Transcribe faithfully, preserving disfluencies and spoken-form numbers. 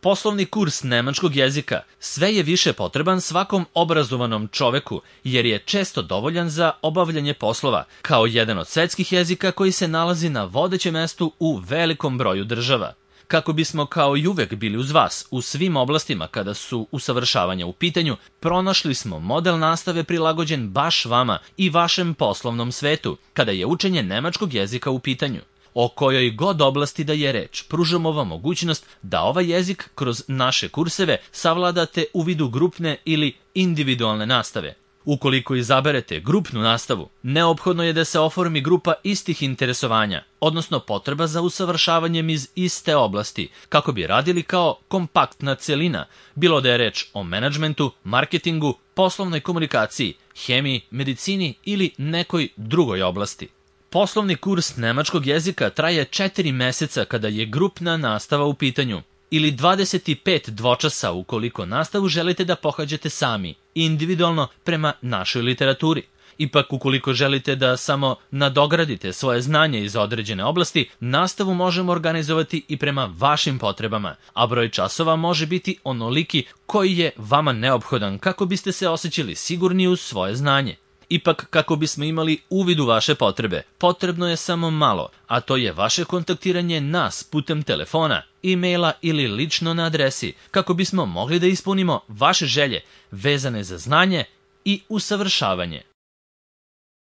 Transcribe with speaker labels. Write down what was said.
Speaker 1: Poslovni kurs nemačkog jezika sve je više potreban svakom obrazovanom čoveku, jer je često dovoljan za obavljanje poslova, kao jedan od svetskih jezika koji se nalazi na vodećem mestu u velikom broju država. Kako bismo kao i uvek bili uz vas u svim oblastima kada su usavršavanja u pitanju, pronašli smo model nastave prilagođen baš vama i vašem poslovnom svetu, kada je učenje nemačkog jezika u pitanju. O kojoj god oblasti da je reč, pružamo vam mogućnost da ovaj jezik kroz naše kurseve savladate u vidu grupne ili individualne nastave. Ukoliko izaberete grupnu nastavu, neophodno je da se oformi grupa istih interesovanja, odnosno potreba za usavršavanjem iz iste oblasti, kako bi radili kao kompaktna celina, bilo da je reč o menadžmentu, marketingu, poslovnoj komunikaciji, hemiji, medicini ili nekoj drugoj oblasti. Poslovni kurs nemačkog jezika traje četiri meseca kada je grupna nastava u pitanju, ili dvadeset pet dvočasa ukoliko nastavu želite da pohađate sami, individualno prema našoj literaturi. Ipak, ukoliko želite da samo nadogradite svoje znanje iz određene oblasti, nastavu možemo organizovati i prema vašim potrebama, a broj časova može biti onoliki koji je vama neophodan kako biste se osjećali sigurni u svoje znanje. Ipak, kako bismo imali uvid u vaše potrebe, potrebno je samo malo, a to je vaše kontaktiranje nas putem telefona, e-maila ili lično na adresi, kako bismo mogli da ispunimo vaše želje vezane za znanje i usavršavanje.